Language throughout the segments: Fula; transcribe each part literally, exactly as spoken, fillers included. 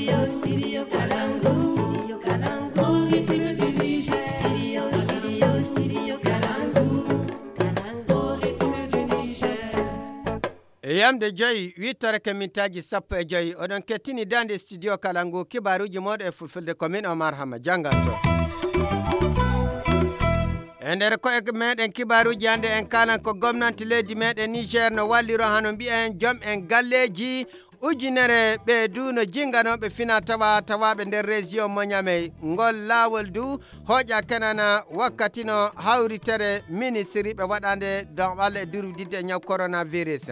Studio Kalangu, Studio Kalangu, Studio, Studio, Studio Kalangu, Kalangu, E yamde joyi, huit heures e mintaaji sappo e joyi, oɗon kettini daande studio Kalangu, kibaaruuji mooɗon e fulfulde, ko min Omar Hama jannganto. E nder koye meɗen kibaaruuji hannde, en kaalan ko gomnanti leydi meɗen Niger no walliro hano mbiyen joom en galleeji ujunere ɓe du no jinganooɓe fina tawa tawaaɓe nder région mo Niamey. Ngol laawol du hooƴa kenana wakkati no hawritere ministiri ɓe waɗande don walla e durwididde e ñaw coronavirus.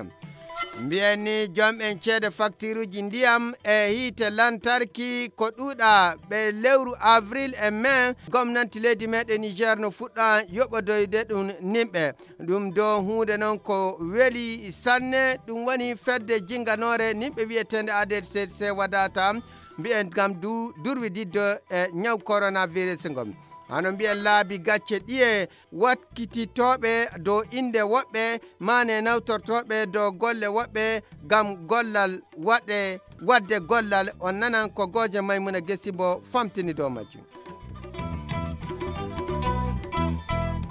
Mbiyen ni joom en ceede faktiruuji ndiyam e hiite lantarki ko ɗuuɗa ɓe lewru avril e mai, gomnanti leydi meɗen Niger no fuɗɗa yoɓodoyde ɗum nimɓe. Ɗum do huunde noon ko weli sanne, ɗum woni fedde jinnganoore nimɓe wiyeteende A D C C wadata, mbiyen ngam du durwididde e ñaw coronavirus ngon. Hano mbiyen laabi gacce ɗiye wakkititooɓe dow innde woɓɓe, maane nawtortooɓe dow golle woɓɓe ngam gollal waɗe, waɗde gollal. On nanan ko gooje Maymuna Gesi mbo famtini dow majjum.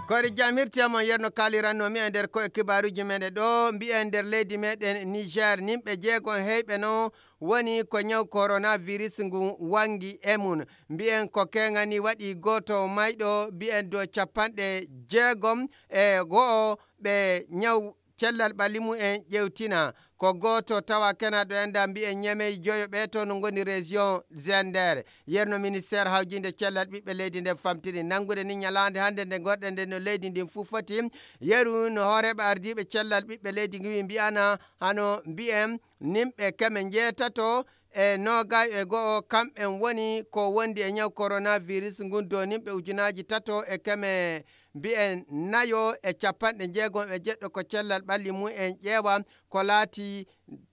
Koyre jam hirti e mon, yerno kaaliranno mi e nder koye kibaaruuji meɗen ɗo, mbiyen nder leydi meɗen Niger, nimɓe jeego heyɓe no woni ko ñaw coronavirus ngu wangi e mum. Mbiyen ko keŋani waɗi gooto mayɗo, mbiyen do capanɗe jeegom e go'o ɓe ñaw cellal ɓalli mumen ƴewtina. Ko gooto tawa kenaɗo enda mbiyen ñamey joyo ɓe to no ngoni région Zender. Yerno ministère hawjinde cellal ɓiɓɓe leydi nden famtini. Nanngude ni ñalaande hannde nde ngonɗen nde no leydi ndin fuu foti. Yeru no hooreeɓe ardiiɓe cellal ɓiɓɓe leydi ngiwi mbiyana hano mbiyen nimɓe keme njeetato e noogay e go'o kamɓen woni ko wondi e ñaw coronavirus ngun do nimɓe ujunaaji tato e keme mbiyen nayo e capanɗe jeegom e jeɗɗo ko cellal ɓalli mumen ƴeewa, ko laati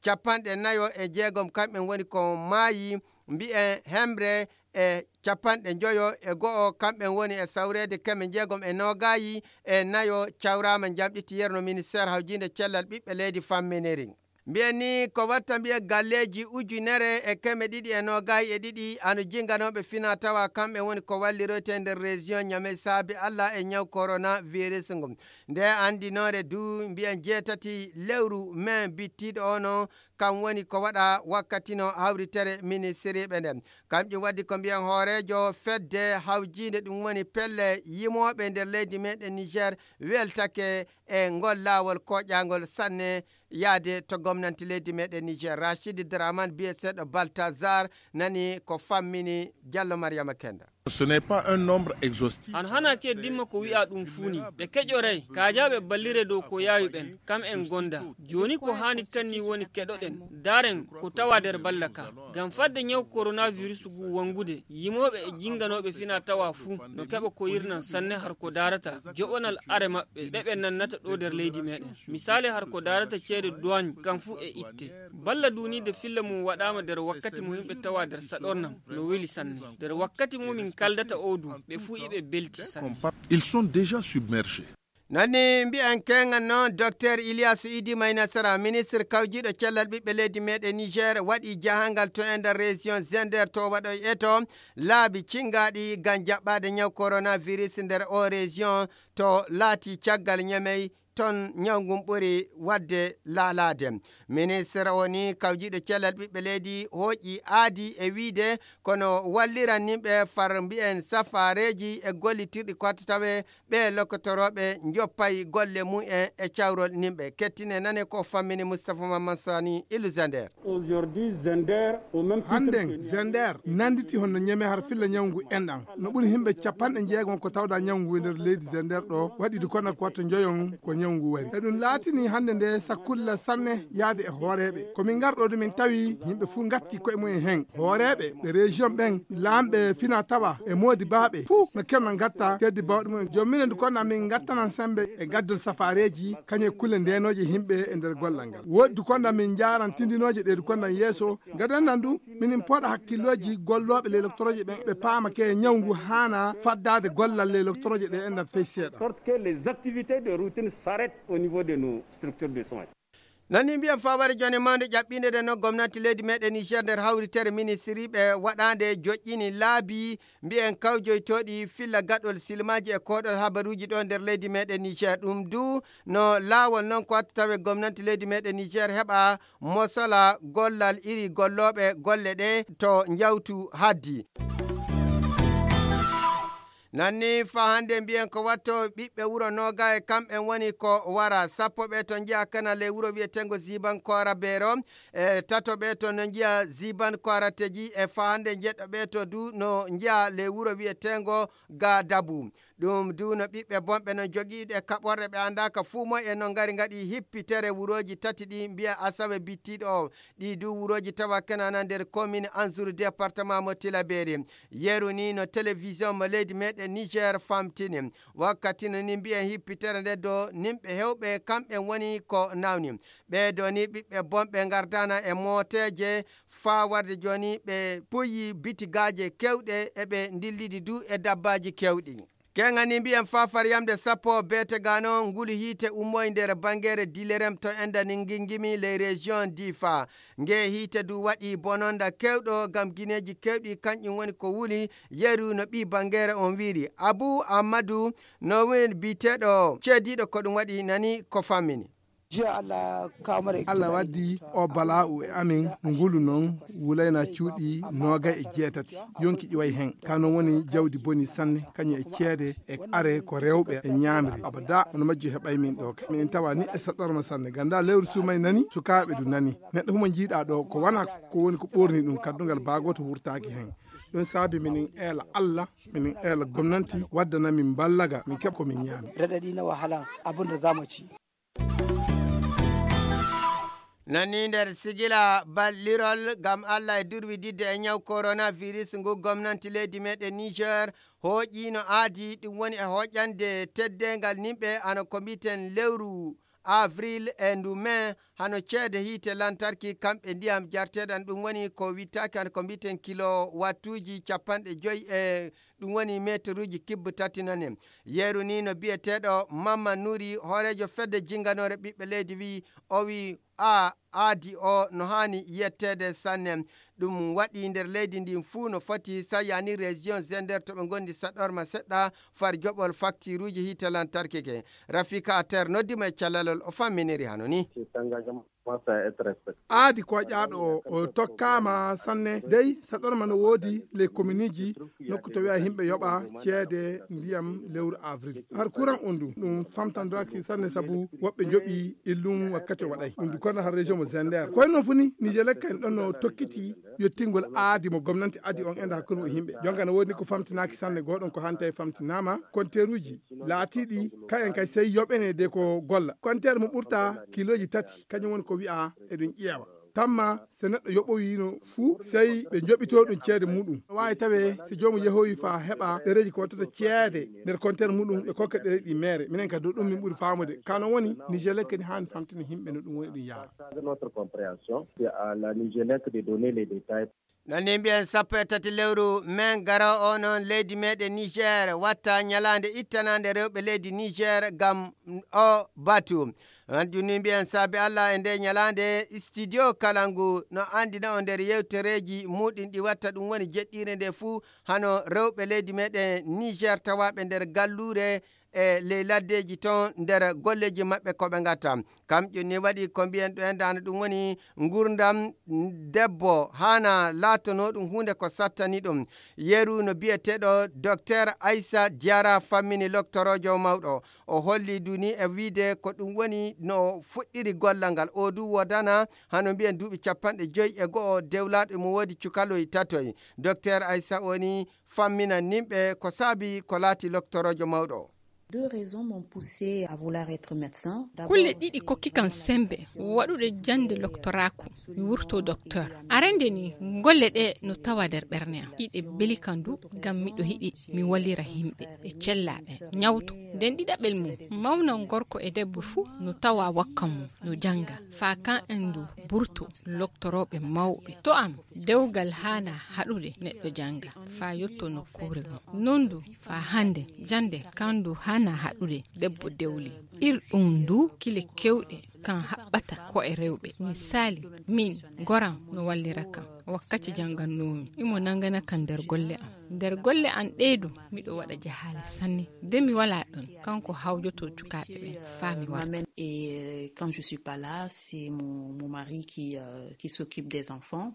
capanɗe nayo e jeegom kamɓen woni ko maayi, mbiyen hemre e capanɗe njoyo e go'o kamɓen woni e sawreede keme jeegom e noogayi e nayo cawraama jamɗiti yerno ministère hawjinde cellal ɓiɓɓe leydi famminiri. Mbiyen ni ko watta mbiyen galleeji ujunere e keme ɗiɗi e noogayi e ɗiɗi ano jinganooɓe fina tawa kamɓe woni ko walliroyte nder région Niamey saabi Alla e ñaw coronavirus ngu. Nde anndinoore du mbiyen jeetati lewru mai bittiiɗo ono kam woni ko waɗa wakkati no hawritere ministiriiɓe nden. Kam ɗum waɗi ko mbiyen hooreejo fedde hawjiinde ɗum woni pelle yimooɓe nder leydi meɗen Niger weltake e ngol laawol koƴaangol sanne yaade to gomnanti leydi meɗen Niger. Rachid Draman biyeteeɗo Baltazar nani ko fammini Diallo Mariama Kenda. Ce n'est pas un nombre exhaustif. Han hana ke dimma ko wi'a ɗum fuu ni. Ɓe keƴoray, kaajaaɓe ballire dow ko yaawi ɓen, kam en gonda. Jooni ko haani kanni woni keɗoɗen, daaren ko tawa nder balla ka. Ngam fadde ñaw coronavirus ngu wangude, yimooɓe e jinganooɓe fina tawa fuu no keɓa ko yirnan sanne har ko daarata joɓonal are maɓɓe ɗe ɓe nannata ɗo nder leydi meɗen. Misaali har ko daarata ceede douane kam fuu e itte. Balla duuniide filla mum waɗaama nder wakkati mo yimɓe tawa nder saɗornam no weli sanne. Nder wakkati mo min kaldata o du, ɓe fuu iɓe belti sanne. Ils sont déjà submergés. Nani mbi'an keŋan noon, Docteur Ilyasu Idi Maynasara, ministre kawjiiɗo cellal ɓiɓɓe leydi meɗen Niger, waɗi jahangal to e nder région Zender to waɗoy eto laabi cingaaɗi ngam jaɓɓaade ñaw coronavirus nder o région to laati caggal Ñamey ton ñaw ngun ɓuri waɗde laalaade. Ministre o ni kawjiiɗo cellal ɓiɓɓe leydi hooƴi aadi e wiide kono walliran nimɓe far mbi'en safareeji e gollitirɗi kotta tawe ɓe lokotorooɓe njoppay golle mumen e cawrol nimɓe. Kettine nane ko fammini Moustapha Mamman Sani Ilu Zander. Aujourd'hui, Zender, au même titre Hannden que Niamey. Zender nannditi honno Ñeme har filla ñawngu enɗan. No ɓuri himɓe capanɗe jeegom ko tawɗa ñawngu e nder leydi Zender ɗo, waɗi du kono ko watto njoyon ko ñawngu wari. E ɗum laatini hannde nde sakkulla sanne yaade e hooreeɓe. Ko min ngarɗo du min tawi yimɓe fuu ngatti koye mumen hen. Hooreeɓe ɓe région ɓen, laamɓe fina tawa e moodi baaɓe fuu no kerna ngatta keddi bawɗe mumen. Joom minen du kono min ngattanan sembe e gaddol safareeji kañe kulle ndenooje yimɓe e nder gollal ngal. Woodi du kono min njaaran tindinooje ɗe du kono yeeso. Ngaden nan du minin pooɗa hakkillooji gollooɓe ley loktoroje ɓen, ɓe paama ke ñaw ngu haana faddaade gollal ley loktoroje ɗe enɗan fey seeɗa. Sorte que les activités de routine s'arrêtent au niveau de nos structures de soins. Nani mbiyen faware jone mawnde ƴaɓɓinde nde no gomnati leydi meɗen Niger nder hawritere ministiriɓe waɗande joƴƴini laabi mbiyen kawjoytooɗi filla gaɗol silmaaji e koɗol habaruuji ɗo nder leydi meɗen Niger. Ɗum du no laawol non ko wattu tawe gomnati leydi meɗen Niger heɓa mosala gollal iri gollooɓe golle ɗe to njawtu haddi. Nanni fa hannde mbiyen ko watto ɓiɓɓe wuro Nooga e kamɓen woni ko wara sappo ɓe to njiya kana ley wuro wiyeteengo Ziban Koora Beero, e tato ɓe to no njiya Ziban Koora Teji, e fa hannde njeɗɗo ɓe to du no njiya ley wuro wiyeteengo Ga Dabu. Ɗum du no ɓiɓɓe bonɓe no jogiiɗe kaɓorɗe ɓe anndaaka fuu moy e no ngari ngaɗi hippitere wurooji tati ɗi mbiya Asawe bittiiɗo o. Ɗi du wurooji tawa kenana nder commune Anzuru département mo Tilaberi. Yeru ni no télévision mo leydi meɗen Niger famtini. Wakkati no ni mbiyen hippitere nde do nimɓe hewɓe kamɓen woni ko nawni. Ɓe do ni ɓiɓɓe bonɓe ngardana e mooteeje faa warde joni ɓe puyi bitigaaje kewɗe e ɓe ndillidi du e dabbaaji kewɗi. Kengani mbiyen faa far yamde sappo beete gano ngulu hiite ummoy nder bangere Dilerem to enda ni ngingimi ley région Difa. Nge hiite du waɗi bononda kewɗo gam gineeji kewɗi kanƴum woni ko wuli yeru no ɓii bangere on wiiri. Abu Ammadu no win biteɗo ceediɗo ko ɗum waɗi nani ko fammini. Jiya Allah kamare Allah waddi o bala'u e amin ngulu non wulayna cuuɗi noogay e jeetati yonki ƴiway hen. Ka non woni jawdi boni sanne kañum e ceede e are ko rewɓe e ñaamri. Abada hono majju heɓay min ɗo ka. Min tawa ni e saɗɗorma sanne. Ganda lewru sumay nani, sukaaɓe du nani. Neɗɗo humo jiiɗa ɗo ko wana ko woni ko ɓorni ɗum kaddungal baagoto wurtaaki hen. Ɗum saabi minin eela Allah, minin eela gomnanti waddana min ballaga min keɓ ko min ñaami. Raɗaɗi na wahala abin da za mu ci. Nani nder sigila ballirol ngam Allah e durwididde e ñaw coronavirus ngu gomnanti leydi meɗen Niger hooƴiino aadi, ɗum woni e hooƴande teddeengal nimɓe hano ko mbiten lewru avril e ndu mai, hano ceede hiite lantarki kamɓe ndiyam jarteeɗan, ɗum woni ko wittaaki hano ko mbiten kilo wattuuji capanɗe joyi e ɗum woni meteruuji kibbe tati nane. Yeru ni no biyeteeɗo Mamma Nuri, hooreejo fedde jinnganoore ɓiɓɓe leydi, wi o wi a aadi o no haani yetteede sanne. Ɗum waɗi nder leydi ndin fuu no foti, sa yani région Zender to ɓe ngondi saɗorma seɗɗa far joɓol faktiruuji hiite lantarki ke. Rafika Ater noddi mo e callalol, o famminiri hano ni. Aadi koƴaaɗo o, o tokkaama sanne. Dey, saɗorma no woodi ley kominiji nokku to wi'a yimɓe yoɓa ceede ndiyam lewru avril. Har kuran on du, ɗum famtandaaki sanne sabu woɓɓe njoɓi illum wakkati o waɗay. Ɗum du kono har région mo Zender. Koye non fu ni, Nijelek en ɗon no tokkiti yottingol aadi mo gomnanti adi on enda hakkunde mo yimɓe. Jonka no woodi ni ko famtinaaki sanne, goɗon ko hante famtinaama. Konteeruuji laatiiɗi kayen kay sey yoɓene de ko golla. Konteer mo ɓurta kiilooji tati, kañum woni ko wi'a eɗum ƴeewa. Tamma so neɗɗo yoɓowiino fuu, sey ɓe njoɓito ɗum ceede muɗum. No waawi tawe so joomum yehowi faa heɓa ɗereeji ko wattata ceede nder konteer muɗum, ɓe kokka ɗereeji ɗi meere. Minen ka dow ɗum min ɓuri faamude. Ka non woni, Nijelek kadi haani famtina yimɓe no ɗum woni ɗum yaara. Notre compréhension, c'est à la Nijelek de donner les détails. Nani mbiyen sappo e tati lewru mai garo o non leydi meɗen Niger watta ñalaande ittanande rewɓe leydi Niger ngam o batu. Hanjum ni mbiyen saabi Allah e nde ñalaande studio Kalangu no andina o nder yewtereeji muɗum ɗi watta, ɗum woni jeɗɗiire nde fuu hano rewɓe leydi meɗen Niger tawaaɓe nder galluure e ley laddeeji ton nder golleeji maɓɓe ko ɓe ngatta. Kamƴum ni waɗi ko mbiyen ɗo en dano ɗum woni ngurdam debbo haana laatanoo ɗum huunde ko sattani ɗum. Yeru no biyeteeɗo Docteur Aissa Diarra fammini loktoroojo mawɗo. O holli du ni e wiide ko ɗum woni no fuɗɗiri gollal ngal. O du wodana hano mbiyen duuɓi capanɗe joyi e go'o dewlaaɗo mo woodi cukaloy tatoy. Docteur Aissa o ni fammina nimɓe ko saabi ko laati loktoroojo mawɗo. Deux raisons m'ont poussé à vouloir être médecin. D'abord, kulle ɗiɗi kokki kan sembe waɗude jannde loktoraaku, mi wurto docteur. Arande ni, golle ɗe no tawa nder ɓernde am. Iɗe beli kan du, ngam miɗo yiɗi mi wallira yimɓe, ɓe cella ɓe ñawto. Nden ɗiɗaɓel mum, mawna gorko e debbo fuu no tawa wakka mum, no jannga. Faa kan en du burto loktorooɓe mawɓe. To am, dewgal haana haɗude neɗɗo jannga, faa yotto nokkuure goo. Non du, faa hannde, jannde kan du haana haɗude debbo dewli. Ir ɗum du kile kewɗe kan haɓɓata ko e rewɓe. Misaali, min, goram no wallira kan. Wakkati janngannoomi, imo nanngana kan nder golle am. Nder golle am ɗee ɗum, miɗo waɗa jahaale sanne. Nde mi walaa ɗon, kanko hawjoto cukaaɓe ɓen faa mi warta. Et, euh, quand je suis pas là, c'est mon, mon mari qui, euh, qui s'occupe des enfants.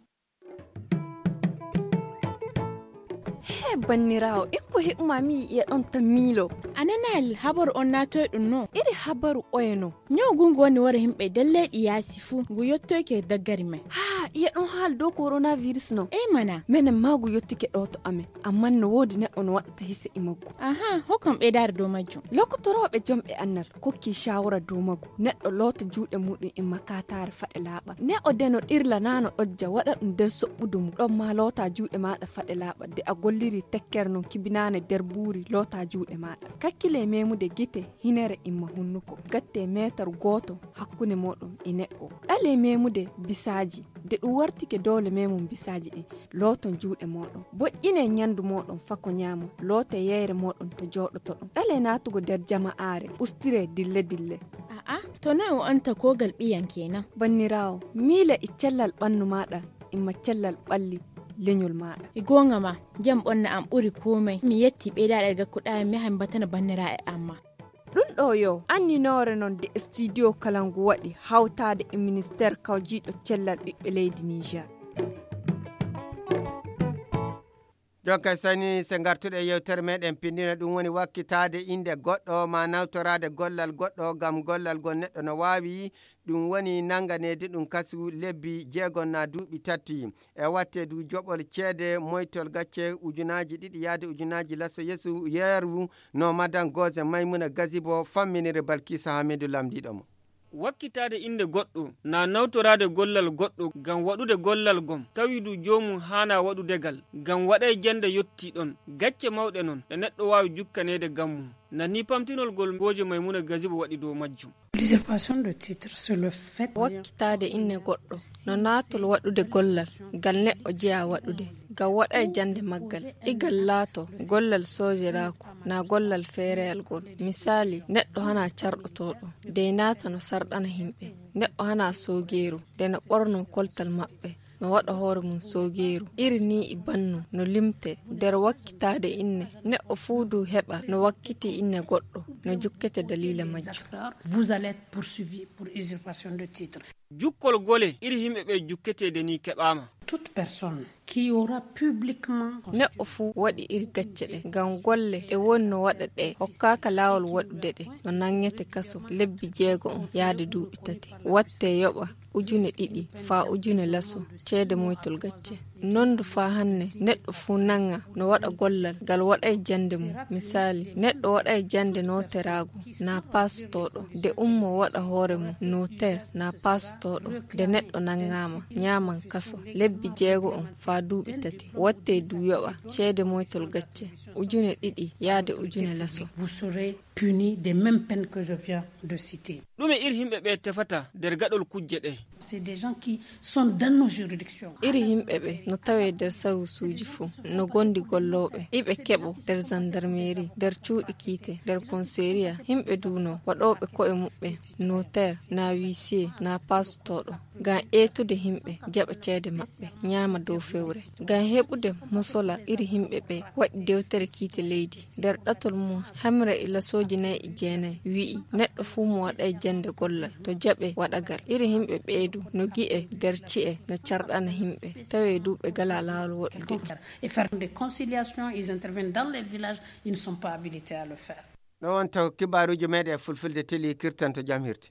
He banniraawo, en ko heɓuma mi yi'e ɗon tan miilo. A nanaali habaru on naatoy ɗum no? Iri habaru oye no? Ñaw gungu woni wara yimɓe nder leyɗi yaasi fuu, ngu yottoyke daggari men. Haa, iye ɗon haala dow coronavirus no? Ey mana. Menen maa ngu yottike ɗo to amen, amman no woodi neɗɗo no waɗata hise e maggu. Aha, hokkam ɓeydaare dow majjum. Lokotorooɓe jomɓe annal kokki shawara dow maggu. Neɗɗo loota juuɗe muɗum e makataare faɗe laaɓa. Neɗɗo de no ɗirla naa no ɗojja waɗa ɗum nder soɓɓudu mum. Ɗon maa loota juuɗe maaɗa faɗe laaɓa. De a golliri tekkere non kibinaane nder buuri loota juuɗe maaɗa. Kakkile memude gite, hinere imma hunnuko. Gatte meetar gooto hakkunde mooɗon e neɗɗo. Ɗale memude bisaaji. De ɗum wartike doole memum bisaaji ɗin. Looton juuɗe mooɗon. Boƴƴine ñandu mooɗon fako ñaama. Loote yeyre mooɗon to jooɗotoɗon. Ɗale naatugo nder jama'aare. Ustire dille dille. A'a, to noy o anta kogal ɓiyan kenan? Banniraawo, miile e cellal ɓannu maaɗa, imma cellal ɓalli leñol maaɗa. E goonga ma, jam ɓonna am ɓuri komai. Mi yetti ɓeydaaɗe gakkuɗaa mi yaha mi batana banniraaɓe am ma. Ɗum ɗo yo anninoore non de studio kala ngu waɗi hawtaade e ministeer kawjiiɗo cellal ɓiɓɓe leydi Niger. Jonka sani se ngartuɗe e yewtere meɗen pindina, ɗum woni wakkitaade innde goɗɗo ma nawtoraade gollal goɗɗo ngam gollal ngol neɗɗo no waawi, ɗum woni nannganeede ɗum kasu lebbi jeegom na duuɓi tati. E watte du joɓol ceede moytol gacce ujunaaji ɗiɗi yaade ujunaaji laso yeesu yeeru no madan Goze Maymuna Gazibo famminiri Balkisa Hamidu lamndiiɗo mo. Wakkitaade innde goɗɗo, na nawtoraade gollal goɗɗo ngam waɗude gollal gom, tawi du joomum haanaa waɗude ngal, ngam waɗay jannde yottii ɗon. Gacce mawɗe non, ɗe neɗɗo waawi jukkaneede ngam mum. Nani pamtinol ngol Gooje Maymuna Gazibo waɗi dow majjum. L'usurpation de titre, c'est le fait. Wakkitaade inne goɗɗo, no naatol waɗude gollal, ngal neɗɗo jeyaa waɗude, ngam waɗay jannde maggal. Igal laato, gollal soojeraaku, naa gollal feereyal ngol. Misaali, neɗɗo hana carɗotooɗo, dey naata no sarɗana himɓe. Neɗɗo hana soogeeru, de no ɓorno koltal maɓɓe, no waɗa hoore mum soogeeru. Iri nii e bannu, no limte, nder wakkitaade inne. Neɗɗo fuu du heɓa no wakkiti inne goɗɗo, no jukkete daliila majjum. Vous allez être poursuivi pour usurpation de titre. Jukkol gole iri himɓe ɓe jukketeede nii keɓaama. Toute personne qui aura publiquement. Neɗɗo fuu waɗi iri gacce ɗe, ngam golle ɗe woni no waɗa ɗe, hokkaaka laawol waɗude ɗe, no nanngete kaso lebbi jeego on yaade duuɓi tati. Watte yoɓa ujune ɗiɗi faa ujune laso ceede moytol gacce. Non du faa hanne neɗɗo fuu nannga no waɗa gollal ngal waɗay jannde mum. Misaali, neɗɗo waɗay jannde nooteraagu naa paasotooɗo, de ummoo waɗa hoore mum nooteer naa paasotooɗo, de neɗɗo nanngaama, ñaaman kaso lebbi jeego on faa duuɓi tati. Watte du yoɓa ceede moytol gacce ujune ɗiɗi yaade ujune laso. Vous serez puni des mêmes peines que je viens de citer. Ɗume iri himɓe ɓe tefata nder gaɗol kujje ɗe? C'est des gens qui sont dans nos juridictions. Iri himɓe ɓe no tawe nder saruusuuji fuu, no gondi gollooɓe, iɓe keɓo nder zandarmeeri, nder cuuɗi kiite, nder komiseeriya. Himɓe du no waɗooɓe ko'e muɓɓe nooteer, naa wiisiye, naa paasotooɗo, ngam eetude himɓe, jaɓa ceede maɓɓe, ñaama dow fewre. Ngam heɓude mosola iri himɓe ɓe waɗi dewtere kiite leydi. Nder ɗatol mum, hemre e lasooji nay e jeenay wi'i, neɗɗo fuu mo waɗay jannde gollal, to jaɓe waɗagal. Iri himɓe ɓee du no gi'e nder ci'e, no carɗana himɓe, tawe du ɓe ngalaa laawol waɗude ɗum. Et faire des conciliations, ils interviennent dans les villages, ils ne sont pas habilités à le faire. Ɗo wonta ko kibaaruuji meɗen e fulfulde teli kirtanto jam hirti.